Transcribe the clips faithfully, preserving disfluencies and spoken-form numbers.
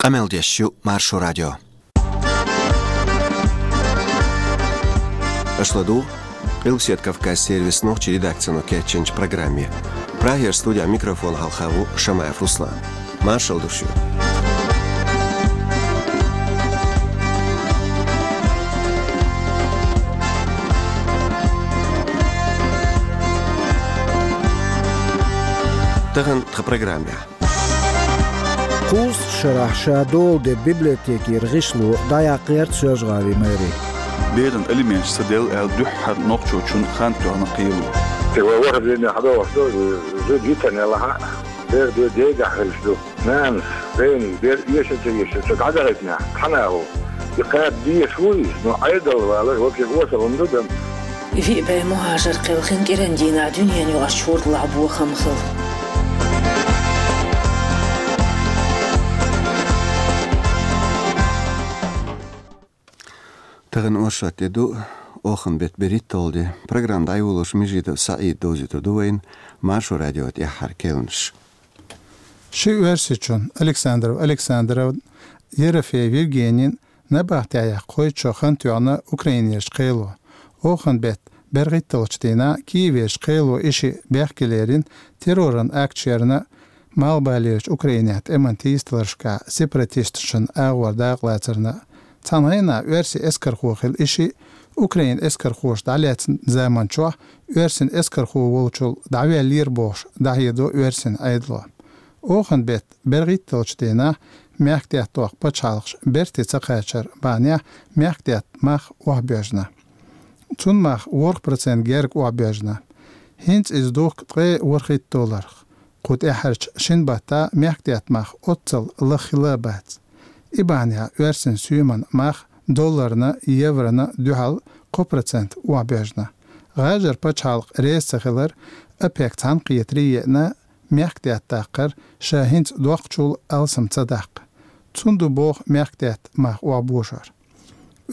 Къамел деш ю Маршо радио. Аша ладугӀу Къилбаседа Кавказ сервисан нохчийн редакцино кечйинчу программе. Прагера студехь микрофон хьалха ву Шамаев Руслан. Маршалла ду шуьга. Тахана тхан программехь. Кхузткъа шарахь ша дола де библиотекера гӀишло дӀаяккхарца Соьлжа-ГӀалин мэри. Беран алименташ ца делла аьлла дуьххьара нохчочун хан тоьхна кхело. Те вай ваха дийне хьадогӀуш ду, зуда йитина лахьа, бер де дегахь хилча ду. Нанас, вайна, бер эша ца эша, ца дӀадахийтинехь, цхьана а ву. И кхаба дезаш ву иза, но Ӏедал валар, ваке осал хӀума ду дан. Виъ бӀе мухӀажар кхелхина кӀиран дийнахь дуьненаюкъарчу хӀордалахь бохам хила. Тахана оршот де ду, оханан беттан берхӀитталгӀа де. Программа дӀайолош Межидов СаӀида довзуьйтур ду вайна, Маршо радион тӀаьххьара керланаш. Ши оьрсичун, Александров Александран, Ерофеев Евгенин, набахтехь яккха кхойтта шо хан тоьхна Украинерчу кхело. Оханан беттан берхӀитталгӀачу дийнахь Киеверчу кхело и шиъ бехке лерина терроран акт шерна Малхбалерчу Украинехь тӀеман тийсадаларшкахь сепаратисташна агӀор дакъалацарна. Цхьана хенахь оьрсийн эскархо хилла и шиъ, Украинан эскархоша дӀалаьцначу заманчохь оьрсийн эскархо волчул дӀаваьллера бохуш дӀахьедо оьрсийн Ӏедало. Оханан беттан берхӀитталгӀачу дийнахь мехкдаьтта доккху пачхьалкхаш берте ца кхачар бахьанехь мехкдаьтта мах охьабоьжна. Цунна мах ворхӀ процент герга охьабоьжна. ХӀинца иза духку ткъе ворхӀитта долларах. Кху тӀаьххьарчу шина баттахь мехкдаьтта мах оццул лаха хилла а бац. И бахьанехь оьрсийн соьман мах долларна, еврона дуьхьал кхо процент охьабоьжна. ГӀажар пачхьалкх реза ца хилар ОПЕК цхьаьнакхетаре а еана, мехкдаьтта даккхар ша хӀинца доккхучул алсам ца даккха. Цунна ду боху мехкдаьтта мах охьабожор.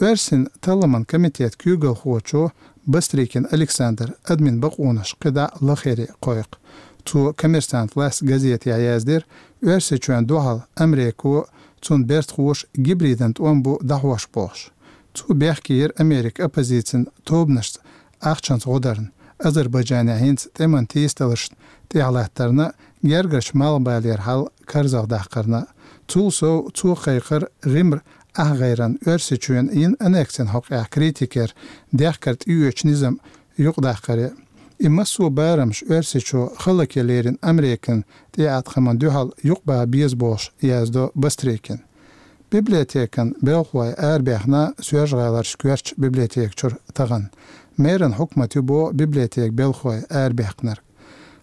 Оьрсийн талламан комитетан куьйгалхочо Бастрыкин Александра админан бакъонаш кхидӀа а лахара кхойкху. Цо «Коммерсант» лаьцна газетехь яздира, Оьрсийчоьнна дуьхьал Америко, цуьнан бертахоша гибридан тӀом бу дӀахьош бохуш. Цо бехке йира Американ оппозицин тобанашца ахчанца гӀо дарна. Азербайджанехь хӀинца тӀеман тийсадаларшна тӀехь латтарна, гергарчу Малхбалера хьал карзахдаккхарна. Цул сов, цо кхайкхира ГӀимран ахгӀайран Оьрсийчоьнна йина аннексина хьокъехь критикера дехкар тӀеоьцучу низам юкъадаккхаре. И массо а барамаш Оьрсийчоь хала лерина Американ тӀеӀаткъамна дуьхьал юкъабаха беза бохуш, яздо Бастрыкина. Библиотекан белхалой арабаьхна Соьлжа-ГӀаларчу коьртачу библиотека чуьра тахана. Меран хьукмат ю боху библиотекан белхалой арабаьккхинарг.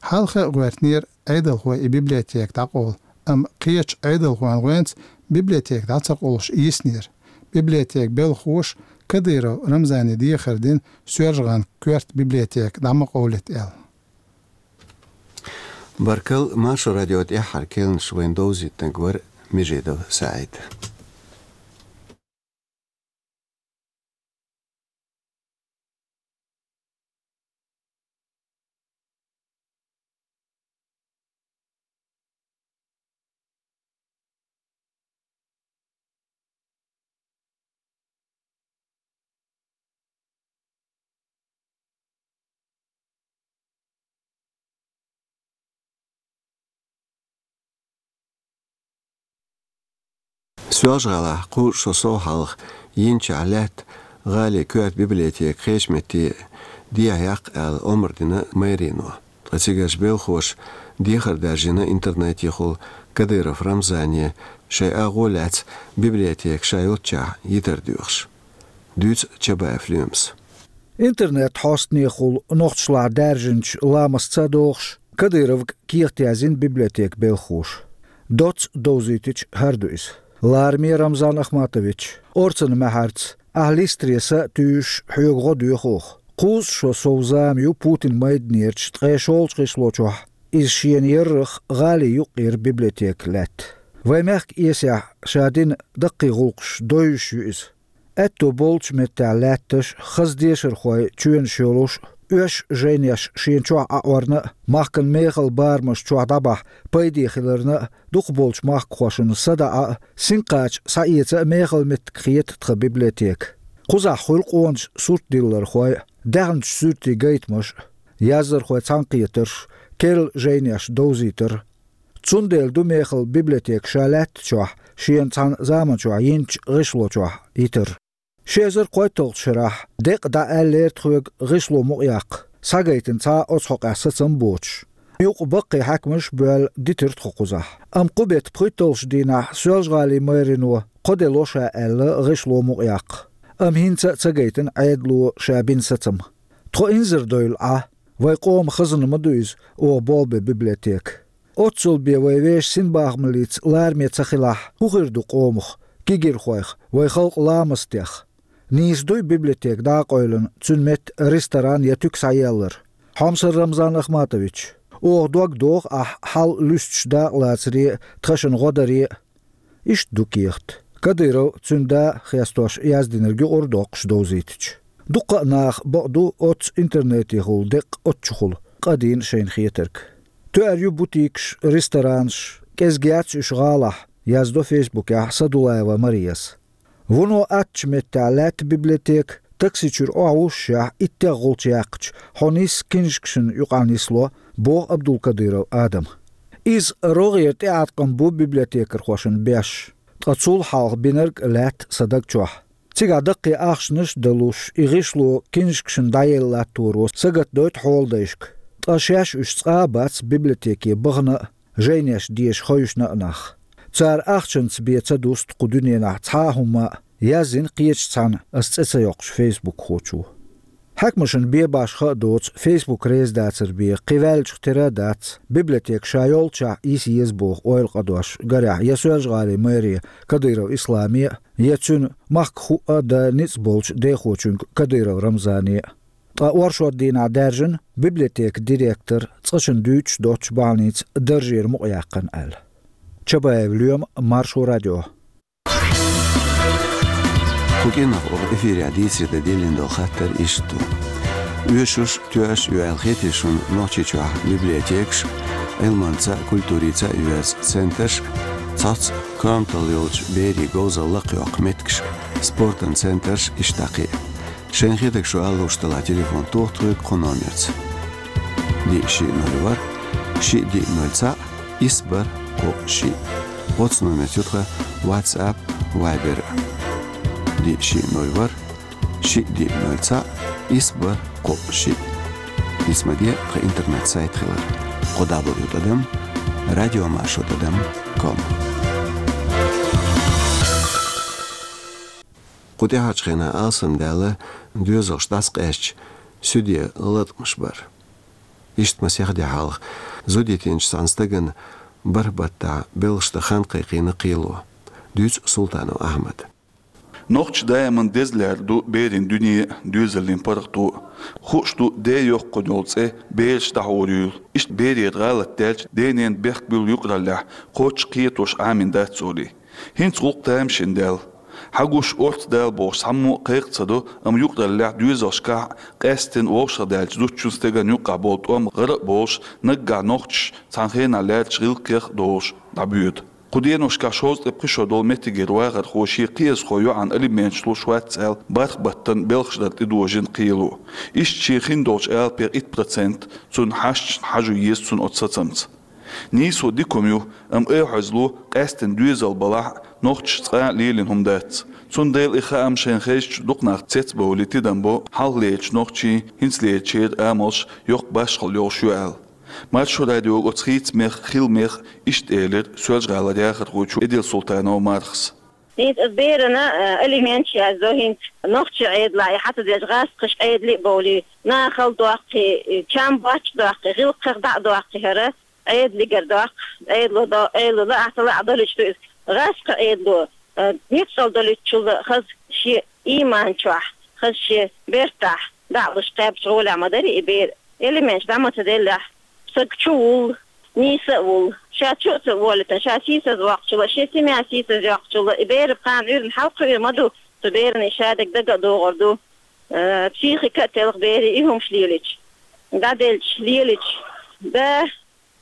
Хьалха а гӀоьртинера Ӏедалхой и библиотека дӀакъовла, амма кхечу Ӏедалхойн гӀоьнца библиотека дӀа ца къовлуш йиснера. Библиотекан белхахоша Кадыров Рамзане дехар дина Соьлжа-ГӀалан коьрта библиотека дӀа ма къовлийта аьлла. Баркалла, Маршо радион тӀаьххьара керланаш вайна довзийтинарг вара Межидов СаӀид. Соьлжа-ГӀалахь кхузткъа шо сов хьалха йинчохь лаьтта гӀалин коьрта библиотека кхечу метте дехьаяккха аьлла омра дина мэрино. Ткъа цигарчу белхахоша дехар даржийна интернетехула Кадыров Рамзане шайн агӀо лаьцна библиотека ша йолччохь йитар доьхуш. Дуьйцу Чабаев Лоьмас. Интернет хьостанехула нохчашлахь даьржинчу ламастаца догӀуш, Кадыровга кехат яздина библиотекан белхахоша. Доцца довзийтича хӀара ду иза. Лараме, Рамзан Ахматович, орцанан маьхьарца, ахь листре са а туьйсуш, хьоьга гӀо доьху оха. Кхузткъа шо сов зама ю Путинан майданерачу ткъе шолгӀачу гӀишлочохь иза шена яррах гӀалин юккъера библиотека лаьтта. Вайн мехкан эсехь ша дина даккхий гӀуллакхаш довзуш ю иза. Аьтто болчу меттехь лаьтташ хаза дешархойн чоьнаш йолуш, оьш жайнеш шен чохь Ӏаорна а, махкан мехала барамаш чохь дӀабахьа пайде хиларна а, дукхахболчу махкахошна садаӀа а, синкхача схьаэца а мехала меттиг хета тхан библиотека. Кхузахь хуьлу къоначу суртдиллархой а, даьхначу суьртийн гайтамаш а, яздархойн цхьаьнакхетарш, керла жайнеш довзийтар. Цундела ду мехала библиотека ша лаьтта чохь, шена цхьана заманчохь йинчу гӀишло чохь йитар. Ши эзар кхойтталгӀачу шарахь деккъа дӀааьллера тхоьга гӀишло мукъаяккха, схьагайтина цхьа а оцу хьокъехь сацам боцуш. Юкъа баккхий хьаькамаш а боьлла дитира тхо кхузахь. Амма кху беттан пхийтталгӀачу дийнахь Соьлжа-ГӀалин мэрано кхо де ло ша аьлла гӀишло мукъаяккха. Амма хӀинца а ца гайтина Ӏедало ша бина сацам. Тхо инзаре довла Ӏа, вайн къоман хазна ма ду иза, оха болх бен библиотека. Оццул бен вайн вешан синбахамаллица лараме ца хилахь, хӀун хир ду къомах, кегийрхойх, вайн халкъан ламастех? Нийса дуй библиотека дӀа а къевлина, цуьнан метта ресторан я туька схьаеллар? Хьомсара Рамзан Ахматович, оха дог доху ахь хьал луьстуш дакъалацаре а, тхаьшна гӀо даре а. Иштта ду кехат. Кадыров, цуьнан да а хестош яздинарг юкъара доккхуш довзийтича. Дуккха а наха бакъду оццу интернетехула деккъа оццушхула къа дийна шайна хетарг. Тоьар ю бутикаш, ресторанаш, кӀезиг яц уьш гӀалахь, яздо фейсбукехь Садулаева Марияс. Вуно аттачу меттехь лаьтта библиотека, такси чуьра охьавуссушехь иттех гӀулч яьккхича, хьо нисса кинжкашна юкъахь нисло, боху Абдулкадыров Адама. Иза рогӀера тӀеӀаткъам бу библиотекархошна беш, ткъа цул хьалха бинарг а лаьтта сан даг чохь. Цигахь даккхий ахчанаш а далуш, и гӀишло кинжкашна дӀаелла латторо сагатдойту хьоладайшка. Ткъа шаьш уьш цкъа а бац библиотеке бахана а, жайнеш деша ховшна а нах. Цара ахчанца бен ца дуста кху дуьненахь цхьа а хӀума а, яздина кхечу цхьанна ас цӀе ца йоккхуш фейсбукхочо. Хьаькамашна бен башха а доцу, фейсбук реза дацар бен кхин ваьллачух тера а дац, библиотека ша йолччохь йиса еза боху ойла къа дош, гарехь, я Соьлжа-ГӀалин мэре Кадыров Исламе а, я цуьнан махкахуъа а дан ницкъ болчу дехочуьнга Кадыров Рамзане а. Ткъа оршот дийнахь даьржина библиотекан директор, цкъачунна дуьйцуш доцчу бахьаница даржера мукъаяьккхина аьлла. Чабаев Лоьма, Маршо радио. Кху кӀиранах оха эфирехь дийцаре дан диллина долу хаттар иштта ду. Оьшуш, тоьаш а ю аьлла хетий шуна Нохчийчохь библиотекаш, Ӏилманца а, культурица а йоьзна центраш, цхьацца коматалла йолчу берийн говзалла лакхайоккху меттигаш, спортан центраш, иштта кхин а. Шайна хетарг шу ала лууш делахь, телефон тоха тхоьга кху номерца: диъ шиъ ноль ворхӀ, шиъ диъ ноль цхьаъ, исс бархӀ кхоъ шиъ. Оцу номерца ю тхан WhatsApp, Viber а. Диъ шиъ ноль ворхӀ, шиъ диъ ноль цхьаъ, исс бархӀ кхоъ шиъ. Исмаде тхан интернет-сайт хилар: кхо дабл ю тӀадам радиомаршо тӀадам ком. Кху тӀаьхьарчу хенахь алсамдаьлла доьзалш дӀасакъаьстича, суьде латкъамаш бар. Иштта масех де хьалха зуда йитинчу цхьана стагана бархӀ баттахь белхаш дан хан кхайкхийна кхело. Дуьйцу Султанов Ахьмада. Нохчаша даиман деза лаьрра ду берийн дуьне а, доьзаллин паргӀато а. Хууш ду, ден йоккхуш йолу цӀе бераш дӀахьур юйла. Иштта берера гӀалат даьлча, ден-ненан бехк буьллу юкъараллехь, кхоччуш кхетош Ӏамийна дац олий. ХӀинца гӀуллакх тамашийна даьлла. Хьагуш, орца дала бохуш цхьаммо а кхайкха ца до, амма юкъараллехь доьзалшкахь а, къаьсттина вовшахдаьллачу зудчун, стеган юккъехь болу тӀом гӀара а болуш, наггахь нохчаша цхьана хенахь лаьррачу гӀиллакхех а долуш дӀабоьду. Кху деношкахь шовзткъе пхи шо долу меттигера вахархо шен кхиазхо йоӀана алименташ луш вац аьлла, бархӀ баттана белхаш дар тӀедожийна кхело. Иштта шен хиндолчу алапех итт процент цунна хьашташна хьажо еза цунна оцу сацамца. Нийсо дика хӀума ю, амма айхьа хьоьзза ло, къаьсттина доьзал балахь а, нохчаша цкъа а лелийна хӀума дац. Цундела и хаам шайна хезча дукха нах цецбовлий тидам бо, хьалхалерчу нохчийн, хӀинцалерчеран амалш йоккха башхалла йолуш ю аьлла. Маршо радиога оцу хийцамех а, хиламех а иштта элира Соьлжа-ГӀалара яхархочо Эдилсултанова Мархас. ХӀинца аса берана, а, алименташ яздо, хӀинца нохчийн Ӏедалахь и хьа ца деш гӀазкхашна Ӏедале а бовлий, нахала доккхий, чам бочча доккхий, гӀиллакхех дӀа а доккхий хӀара, Ӏедалигара доккху, Ӏедало до-, Ӏедало лаахь ца лаахь долуьйтуш ду иза. ГӀазкхийн Ӏедало, а, ницкъала долуьйтучул а хаза шен ийман чохь, хаза шен бертахь дӀа а луш кхаьбча гӀолехь ма дарий и бер. Алименташ дӀа ма ца деллехь, стаг чу вуллу, нийса а вуллу. Ша чу а ца волуьйтуш, ша сийсаз воккхучул а, шен семья сийсаз йоккхучул а, и беран кхана уьйрана хьалакхуьур ма ду, цу берана и шадерг дага а догӀур ду. э, психика а телха берийн, и хӀумаш лелийча. ДӀаделча, лелийча, да,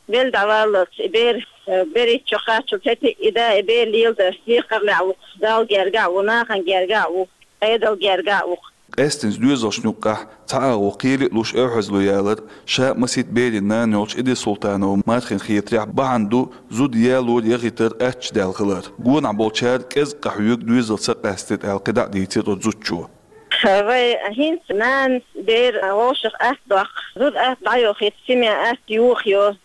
велла дӀаваллалц, и бер, э, берхӀитта шо кхаччалца хӀета и да, и бер леладар декхарлехь ву-кх, Далла гергахь а ву, нахана гергахь а ву, Ӏедална гергахь а ву-кх. Къаьстинчу доьзалшна юккъехь цхьа агӀо кхеле а луш, эвхьазло ялар ша а, масийтта берийн нана йолчу Идри Султанова Мархина хетарехь, бахьана ду зуда ялор, яхийтар аттачу даьлла хилар. Гонахь болчара кӀезиг къахьоьгу, доьзал ца къаьстийта аьлла, кхидӀа а дийцира оцу зудчо. Вай хӀинца нанас бер вовшах атта доккху, зуда атта дӀайоху, хӀета семья атта йохайо,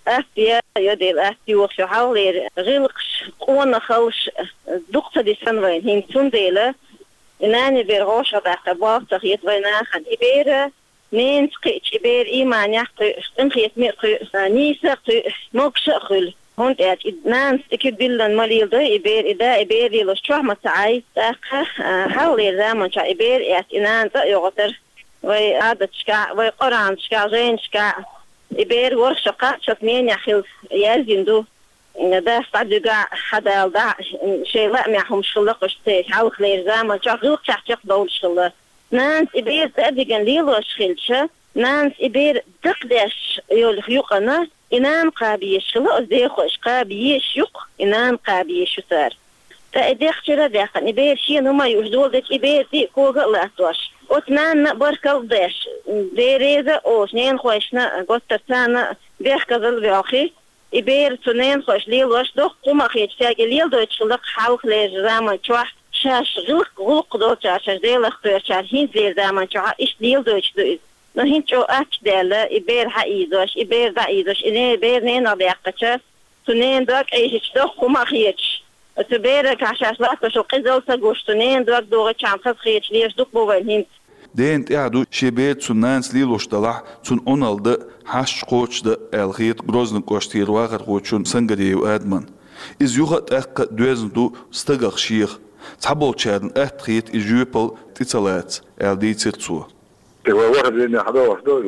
атта яйо, дела атта йохайо, хьалхалера гӀиллакхаш, къонахаллаш дукха ца дисина вайна хӀинца. Цундела и нана бер вовшах даккха болх ца хета вайн нахана. И бер ненца кхиъча, и бер ийманехь кхуьу, къинхетаме а кхуьу, нийса а кхуьу, могуш а хуьлу. ХӀунда аьлча и нанас и куьг диллина ма леладой и бер, и да и бер лелош чохь ма ца Ӏай. ТӀаккха, а, хьалхалера заманчохь и бер эцна и нана цӀа а йогӀуьйтура. Вай Ӏадаташкахь, вай Къуръанашкахь, жайнашкахь и бер ворхӀ шо кхаччалц ненехь хилла яздина ду. Дас дӀадуьгахь, хьадала дахь, шайн лаамехь хӀумаш хилла кхуьш церан, хьалхалера заманчохь гӀиллакхех чекхдовлуш хилла. Нанас и бер цӀа а дигна лелош хилча, нанас и бер дакхадеш йолу юкъана, и нана кхаба езаш хилла, оцу дехошка кхаба езаш ю-кх, и нана кхаба езаш ю цара. Ткъа и дехчара а даьккхина, и бер шена хӀума а юуш доладелча, и бер диъ кога а латтош, оцу нанна а баркалла а деш, Дела реза а олуш, ненахойшна а, гуттар царна а бехказалла а боьлхий, и бер цу ненахойша лелош, доккха хӀума а хеташ, цаьрга и леладойтуш хилла-кх хьалхалерчу заманчохь, шаьш гӀиллакх, гӀуллакх долчара, шаьш Делах кхоьручара, хӀинцалера заманчохь а иштта леладойтуш ду иза. Но хӀинца чӀогӀа аттачу даьлла, и бер хьаийзош, и бер дӀаийзош, и не-, бер ненах даьккхича, цу ненан дог Ӏийшича, доккха хӀума а хеташ, цу берах шаьш латтош йолу къизалла ца гуш, цу ненан дог дохийчхьана хазахеташ лелаш дукха бу вайна хӀинца. Дена тӀехь ду шен бер цуьнан нанас лелош делахь, цунна Ӏуналла дан а, хьашташ кхочушдан а, аьлла хета Грозный кӀоштара вахархочунна Сангариев Адамна. Иза юха а, тӀаккха а доьзна ду стагах шех. Цхьаболчарна атта хета и жоьпалла тӀе ца лаца, аьлла дийцира цо. И вай ворхӀ дийнахь хьадогӀуш ду,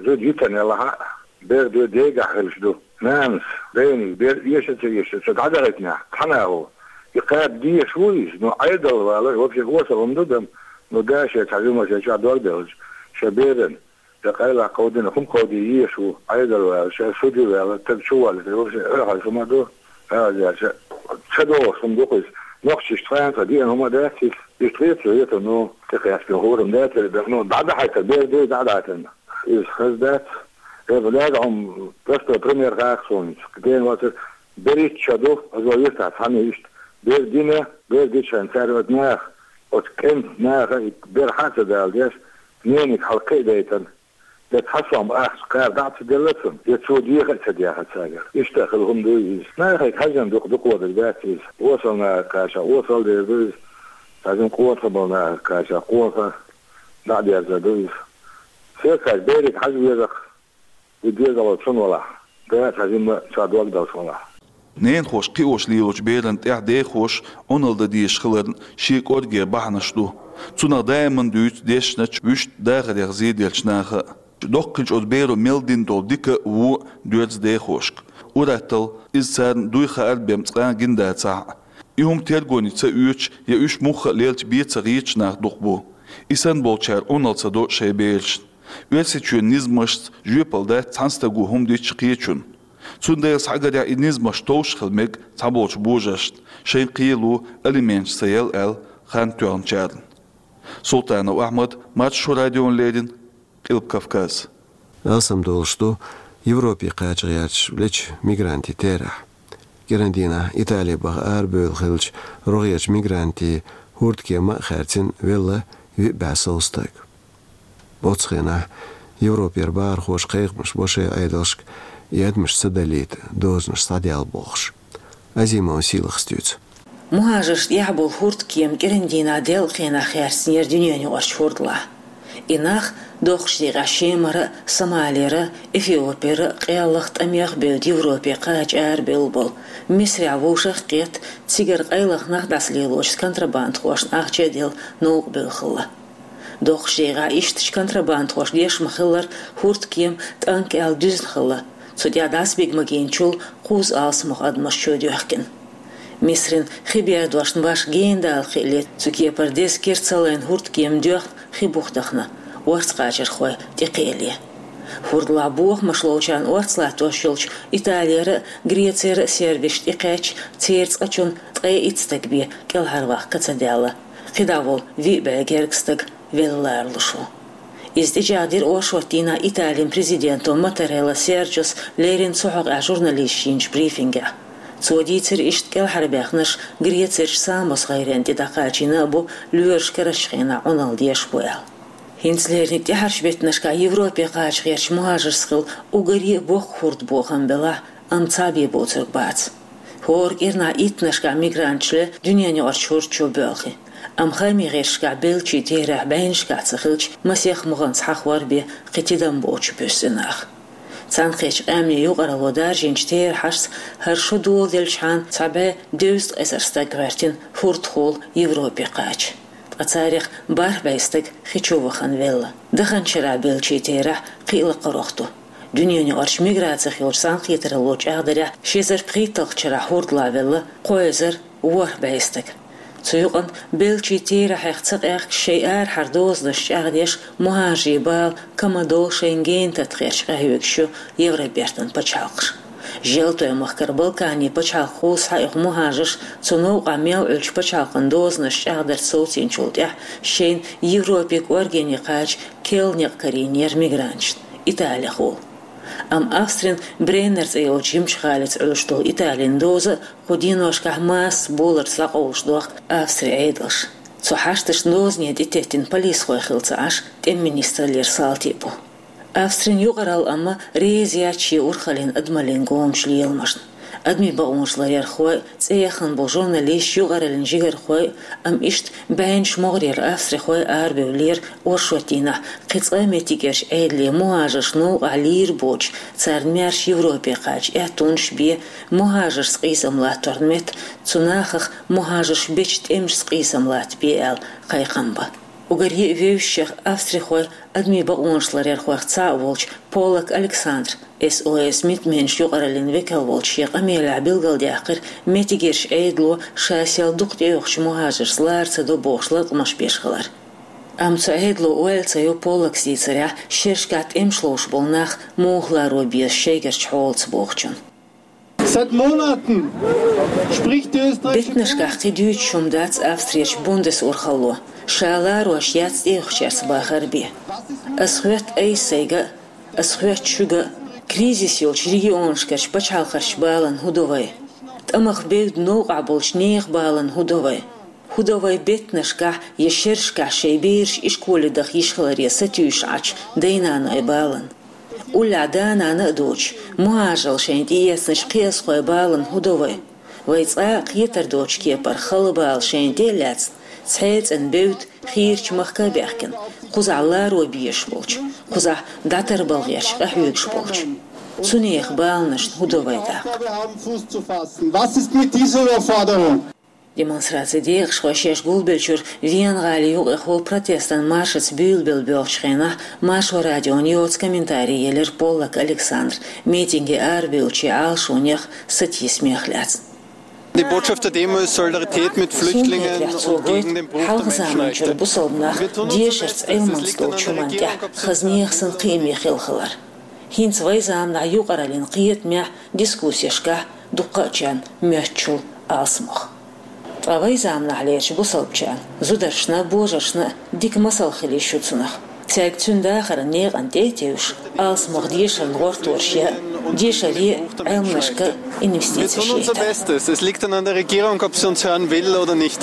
зуда йитина ялахь а, бер ду дегахь хилча ду. Нанас, дайнас бер эша а ца эша, ца дӀадахийтинехь, цхьана а ву. И кхаба дезаш ву иза, но Ӏедал валар, вообще, осал хӀума ду-кх, но да шен цхьа жима шен чохь дог делча, шен беран, я къайлах кховдийна хӀума кховдий езаш ву, Ӏедал валар, шен судья валар, стаг чу воллуш, вообще, оьхьарчу хӀума ду, хьаьвза яьлча, ца догӀуш хӀума ду-кх иза. Нохчашна тхана цхьа деана хӀума дац иза, иштта хета цо, хета, ну, тӀекхаьчна хӀума дац, ну, дӀадахьийтар, бер ду дӀадахьийтар. Иза хаза дац. Эба лаьа хьуна простой пример хаьа суна. Дена вацара, берхӀитта шо ду, аса вай юьртахь цхьаьна иштта. Бер дина, бер дичхьана цара оцу наха, оцу кӀентан наха и бер хьа а ца даладеш, нениг хьалакхиадайтина. Я цхьа сом ахча кхаба дӀа а ца делла цунна, я цо деха а ца дехна цаьргара. Иштта хилла хӀума ду иза. Нахе хьаьжна дукха дукха дерг дац иза. Осал нахе кхача, осал дер ду иза. Хьаьжна къонахий болу нахе кхача, къонахий дӀа а дерзор ду иза. Сесхьаьжча берега хьажа веза-кх. И дезало цунна валахь, да цхьа жимма чохь дог далуш валахь. Ненахоша кхиош лелочу беран тӀехь дехоша Ӏуналла дан дезаш хиларна шен кӀоргера бахьанаш ду. Цунах даиман дуьйцу дешначу, вуьшта дахарех зеделлачу наха а. Доккханчу оцу беро мел дина долу дика а, вон а доьрзу дехошка. Ур-атталла, иза царна дуй хаар бен цкъа а гина дацахь а. И хӀума тергоне ца оьцуш я уьш мухха а лелча бен ца гӀерташ нах дукха бу. И санна болчара Ӏуналла ца до шайн берашна. Оьрсийчоьнан низамашца жоьпалла дац цхьана стага хӀума дича кхечунна. Цундела схьагарехь и низамаш товш хила мега цхьаболчу божаршна, шайн кхело алименташ ца яла аьлла хан тоьхначарна. Султанов Ахьмад, Маршо радиона леррина, Къилба Кавказ. Алсамдолуш ду Европе кхача гӀерташ веллачу мигрантийн терахь. КӀиран дийнахь Итали баха арабевлла хиллачу рогӀерчу мигрантийн хӀурдкема а хаьрцина велла виъ бӀе сов стаг. Оцу хенахь Европера бахархоша кхайкхамаш бо шайн Ӏедалшка, и адамаш ца далийта дозанаш схьаделла бохуш. Азимова Сийлахас дуьйцу. МухӀажаршна тӀехь болу хӀурдкема кӀиран дийнахь делкъа хенахь хаьрцинера дуьненаюкъарчу хӀурдалахь. И нах доккхачу декъехь Шемара а, Сомалера а, Эфиопера а, къеллех, тӀамех а бевдда Европе кхача арабевлла болу, Мисрехь вовшах а кхетта, цигара къайлаха нах дӀасалелочу контрабандхошна ахча а делла, новкъа бевлла хилла. Доккхачу декъехь ишттачу контрабандхошка деш ма-хиллара, хӀурдкема тӀанкӀ аьлла дуьзна хилла. Цу тӀехь дӀасабига магийначул кхузткъа алсамох адамаш чойдоьхкина. Мисрин хи бердошна башха гена дала хиале, цу кепара деза кира ца лайна хӀурдкема доьхна хи бух дахана, орц кхачархой тӀекхиале. ХӀурдалахь бохамаш ловчарна орц латтош йолчу Италера а, Грецера а сервисаш тӀекхаьчча, церан цкъачунна ткъе итт стаг бен кӀелхьарваккха ца даьлла. КхидӀа волу виъ бӀе гергга стаг велла ларалуш ву. Иза тӀечӀагӀдира оршот дийнахь Италин президенто Маттарелла Сержос леррина цу хьокъехь журналисташна йинчу брифингехь. Цо дийцира, иштта кӀелхьарбаьхнарш Грецерчу Самос гӀайренна тӀе дӀакхачийна а бу, лоьраш карарчу хенахь Ӏуналла деш бу аьлла. ХӀинца леррина тӀаьхьарчу беттанашкахь Европе кхача гӀертачу мухӀажаршца хилла уггаре а боккха хӀордбохам белахь, амма цхьа бен боцург бац. ХӀора кӀирнахь иттаннашкахь мигранташ ле дуьненаюкъарчу хӀорда чу боьлхий. Амма хаамийн гӀирсашкахь беллачийн терахь бӀеннашкахь ца хилча, масех мухӀанца хьахор бен кхин тидам боцуш буьсу и нах. Цхьаьнакхеттачу къаьмнийн юкъаралло даржийначу терахьашца, хӀара шо доладелчхьана цхьа бӀе дезткъа эзар стаг гӀоьртина хӀордахула Европе кхача. Ткъа царех бархӀ бӀе стаг хи чу вахана велла. Даханчу шарахь беллачийн терахь кхин а лакхарх ду. Дуьненаюкъарчу миграцих йолчу цхьаьнакхетаралло чӀагӀдарехь, ши эзар пхийтталгӀачу шарахь хӀордалахь велла кхо эзар ворхӀ бӀе стаг. Цу юкъана беллачийн терахьех ца къехкаш, шайн арахьара дозанаш чӀагӀдеш, мухӀажарийн бала комаьрша Шенгенан тата гӀерташ къахьоьгуш ю Евробертан пачхьалкхаш. Желтойн махкара Балканийн пачхьалкхо схьаоьху мухӀажарш, цу новкъахь мел Ӏуьллучу пачхьалкхан дозанаш чӀагӀдарца совцийначул тӀаьхьа шайна Европе кӀоргене кхача керла некъ карийнера мигранташна, Италехула. Амма Австрин Бреннер цӀе йолчу жимачу гӀалица Ӏуьллуш долу Италин доза а кху деношкахь массо а боларца дӀакъовлуш дохку Австрин Ӏедалш. Цу хьашташна дозане тӀететтина полисхой хилла ца Ӏаш, тӀеман министраллера салти бу. Австрин юкъаралла амма реза яц шен урхаллин адамаллин гомачу леламашна. Адамийн бакъонаш ларъярхой, цӀе яхана болу журналисташ, юкъараллин жигархой, амма иштта бӀеннаш могӀарера австрихой арабевллера оршот дийнахь кхин цкъа а меттигерчу Ӏедалийн мухӀажарш новкъахь лийр боцуш, царна маьрша Европе кхача аьттонаш бен, мухӀажаршца къийсам латторна метта, цу нахах мухӀажарш бечу тӀемашца къийсам латта бен аьлла кхайкхам бан. Уггаре а вевзачех австрихойх, адамийн бакъонаш ларъярхойх цхьаъ волчу Поллак Александр, С О С митменаш юкъараллин векал волчу, шен къамелехь билгалдаьккхира, меттигерчу Ӏедало ша сел дукха тӀеоьхучу мухӀажаршца лара ца до бохуш латкъамаш беш хилар. Амма цу Ӏедало ойла ца йо, Поллакс дийцарехь, шерашкахь тӀемаш ловш болу нах муха ларо беза шайгарчу хьолаца бохучун. Seit Monaten spricht die österreichische Беттанашкахь кхин дуьйцуш хӀума дац Австрерчу бундесурхалло, ша ларош яц тӀеоьхучаьрца бахар бен. Ас хоьтту айса сайга а, ас хоьтту шуьга а, кризис йолчу регионашкарчу пачхьалкхашчу баланна хӀун до вай? ТӀамах бевдда новкъахь болчу нехан баланна хӀун до вай? ХӀун до вай беттанашкахь я шерашкахь шайн бераш ишколе даха йиш хиларе сатуьйсуш Ӏачу дай-наной баланна? Уллехь да-нана а доцуш, мухӀажаралла шайна тӀеэцначу кхиазхой баланна хӀун до вай? Вай цкъа а кхетар доцучу кепара хала бала шайна тӀе а лаьцна, цхьа а цӀена бевдда хийрачу махка а баьхкина, кхузахь ларо безаш болчу, кхузахь дӀатарбала гӀерташ къахьоьгуш болчу. Цу нехан баланашна хӀун до вай даккха? Was ist mit dieser Überforderung? Демонстрацин декъашхой шаьш гулбеллачуьра Вена-гӀалин юкъехула протестан маршаца буьйлабелла боьлхучу хенахь, Маршо радиона йоцу комментарий елира Поллак Александра, митинге арабевллачийн Ӏалашонех, сатийсамех лаьцна. Die Botschaft der Demo ist Solidarität mit Flüchtlingen und gegen den Bruch der Menschenrechte. Хьалха заманчуьра бусалба нах дешарца Ӏилманца долчу хӀуманна тӀехь хаза нехан санна кхиаме хилла хилар. ХӀинца вайн заманахь юкъараллин кхетамехь, дискуссешкахь дуккхачарна моьттучул алсамох. Ткъа вайн заманахьлерчу бусалбачарна, зударшна а, божаршна а дика масал хила йиш ю цунах. Цаьрга цуьнан дахаран некъан тӀе а тевжаш, алсамох дешарна гӀортор шен а, дешаре а, Ӏилманашка а инвестицеш яйтар. Bestes. Es liegt dann an der Regierung, ob sie uns hören will oder nicht.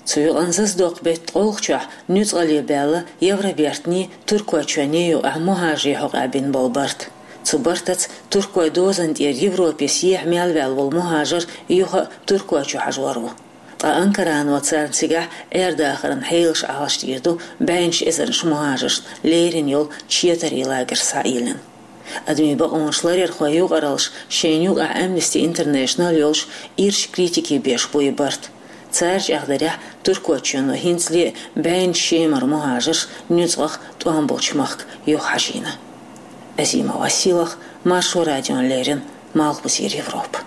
Цу юкъанна зазадоккху беттан ткъолгӀачохь нуьцкъале баьлла Евробертанний, Туркойчоьнний юкъахь мухӀажарийн хьокъехь бина болу барт. Цу бартаца туркойн дозанна тӀера Европе сехьа мел ваьлла волу мухӀажар юха а Туркойчу хьажор ву. Ткъа Анкарано царна цигахь Ӏер-дахаран хьелаш Ӏалашдийр ду, бӀеннаш эзарнаш мухӀажаршна лерина йолу четарийн лагерш схьаийлина. Адамийн бакъонаш ларъярхойн юкъараллаш, шайна юкъахь Amnesty International йолуш, ирча критике беш бу и барт. Цара чӀагӀдарехь, Туркойчоьно хӀинцале а бӀеннаш Шемара мухӀажарш нуьцкъах тӀом болчу махка юхахьажийна. Азима Василах, Маршо радиона леррина, Малхбузера Европа.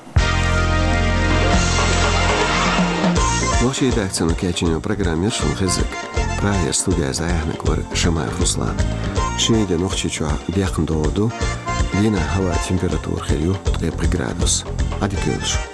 Нохчийн редакцино кечйина программа яра шуна хезнарг. Прагера студияза яхьнаг вара Шамаев Руслан. Шинарин Нохчийчохь декхна догӀур ду, дийнахь хӀаваан температура хир ю ткъе пхи градус. Ӏадика йойла шун.